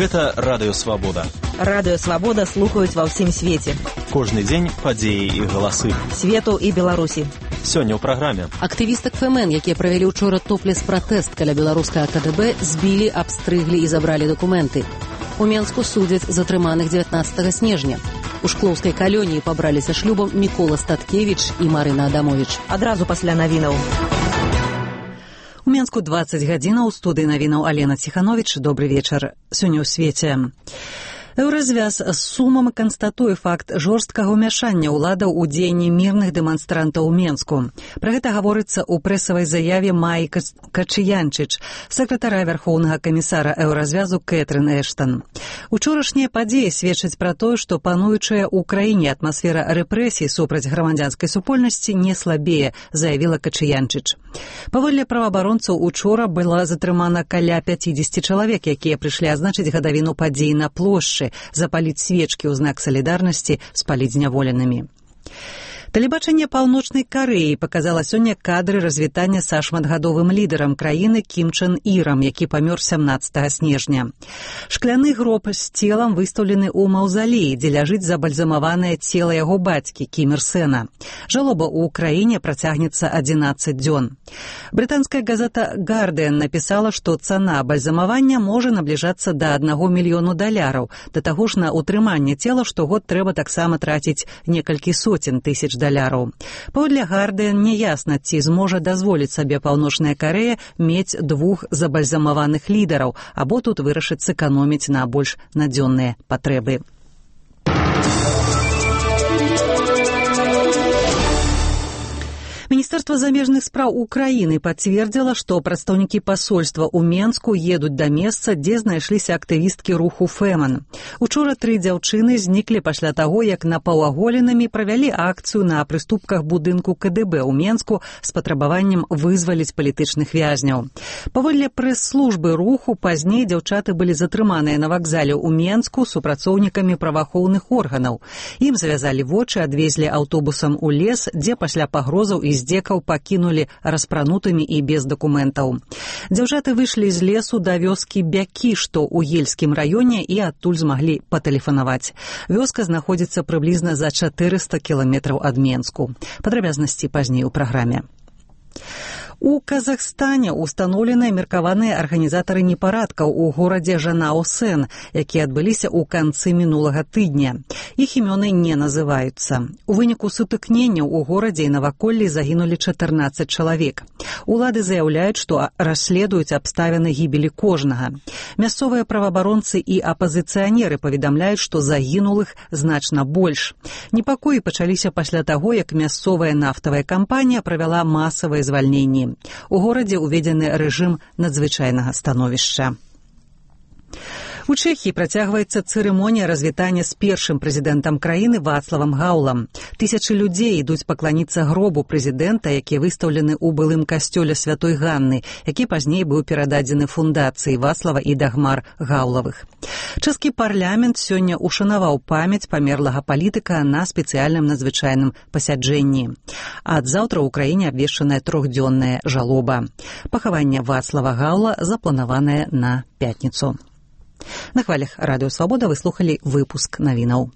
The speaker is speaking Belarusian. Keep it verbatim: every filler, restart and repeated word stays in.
Гэта Радыё Свабода. Радыё Свабода слухаюць ва ўсім свеце. Кожны дзень падзеі і галасы. Свету і Беларусі. Сёння ў праграме. Актывістак ФМН, якія правялі ўчора топлес-пратэст каля беларускага КДБ, збілі, абстрыглі і забралі дакументы. У Менску судзяць затрыманых дзевятнаццатага снежня. У шклоўскай калоніі пабраліся шлюбам Мікола Статкевіч і Марына Адамовіч. Адразу пасля навінаў. У Менску дваццаць гадзінаў, у студыі навінаў Алена Ціхановіч. Добры вечар. Сёння ў свеце. Еўразвяз з сумам канстатуе факт жорсткага ўмяшання ўладаў у дзеянні мірных дэманстрантаў у Менску. Пра гэта гаворыцца ў прэсавай заяве Маі Качыянчыч, сакратара вярхоўнага камісара еўразвязу Кэтрын Эштан. Учорашнія падзеі сведчаць пра тое, што пануючая ў краіне атмасфера рэпрэсій супраць грамадзянскай супольнасці не слабее, заявіла Качыянчыч. Паводле праваабаронцаў, учора была затрымана каля пяцідзесяці чалавек, якія прыйшлі адзначыць гадавіну падзей на плошчы, запаліць свечкі ў знак салідарнасці з палітзняволенымі. Тэлебачанне Паўночнай Карэі паказала сёння кадры развітання са шматгадовым лідарам краіны Кім Чен Ірам, які памёр сямнаццатага снежня. Шкляны гроб з целам выстаўлены ў маўзалеі, дзе ляжыць забальзамаванае цела яго бацькі Кім Ір Сэна. Жалоба ў краіне працягнецца адзінаццаць дзён. Брытанская газета «Гардыан» напісала, што цана бальзамавання можа набліжацца да аднаго мільёну даляраў. Да таго ж на ўтрыманне цела штогод трэба таксама траціць некалькі соцень тысяч даляраў. Паводле «Гардыан» няясна, ці зможа дазволіць сабе Паўночная Карэя мець двух забальзамаваных лідараў, або тут вырашыць сэканоміць на больш надзённыя патрэбы. Міністэрства замежных спраў Украіны пацвердзіла, што прадстаўнікі пасольства ў Менску едуць да месца, дзе знайшліся актывісткі руху ФМН. Учора тры дзяўчыны зніклі пасля таго, як напаўаголенымі правялі акцыю на прыступках будынку КДБ ў Менску з патрабаваннем вызваліць палітычных вязняў. Паводле прэс-службы руху, пазней дзяўчаты былі затрыманыя на вакзале ў Менску супрацоўнікамі праваахоўных органаў. Ім завязалі вочы, адвезлі аўтобусам у лес, дзе пасля пагрозаў і здзекаў пакінулі распранутымі і без дакументаў. Дзяўчаты выйшлі з лесу да вёскі Бякі, што ў Ельскім раёне, і адтуль змаглі патэлефанаваць. Вёска знаходзіцца прыблізна за чатырыста кіламетраў ад Менску. Падрабязнасці пазней у праграме. У Казахстане ўстаноўленыя меркаваныя арганізатары непарадкаў у горадзе Жанао-Сэн, якія адбыліся ў канцы мінулага тыдня. Іх імёны не называюцца. У выніку сутыкненняў у горадзе і наваколлі загінулі чатырнаццаць чалавек. Улады заяўляюць, што расследуюць абставіны гібелі кожнага. Мясцовыя праваабаронцы і апазіцыянеры паведамляюць, што загінулых значна больш. Непакоі пачаліся пасля таго, як мясцовая нафтавая кампанія правяла масавыя звальненні. У горадзе ўведзены рэжым надзвычайнага становішча. У Чэхіі працягваецца цырымонія развітання з першым прэзідэнтам краіны Вацлавам Гаўлам. Тысячы людзей ідуць пакланіцца гробу прэзідэнта, які выстаўлены ў былым касцёле Святой Ганны, які пазней быў перададзены фундацыі Вацлава і Дагмар Гаўлавых. Чэшскі парламент сёння ушанаваў памяць памерлага палітыка на спецыяльным надзвычайным пасяджэнні. Ад заўтра ў краіне абвешчаная трохдзённая жалоба. Пахаванне Вацлава Гаўла запланаванае на пятніцу. На хвалях Радыё Свабода вы слухалі выпуск навінаў.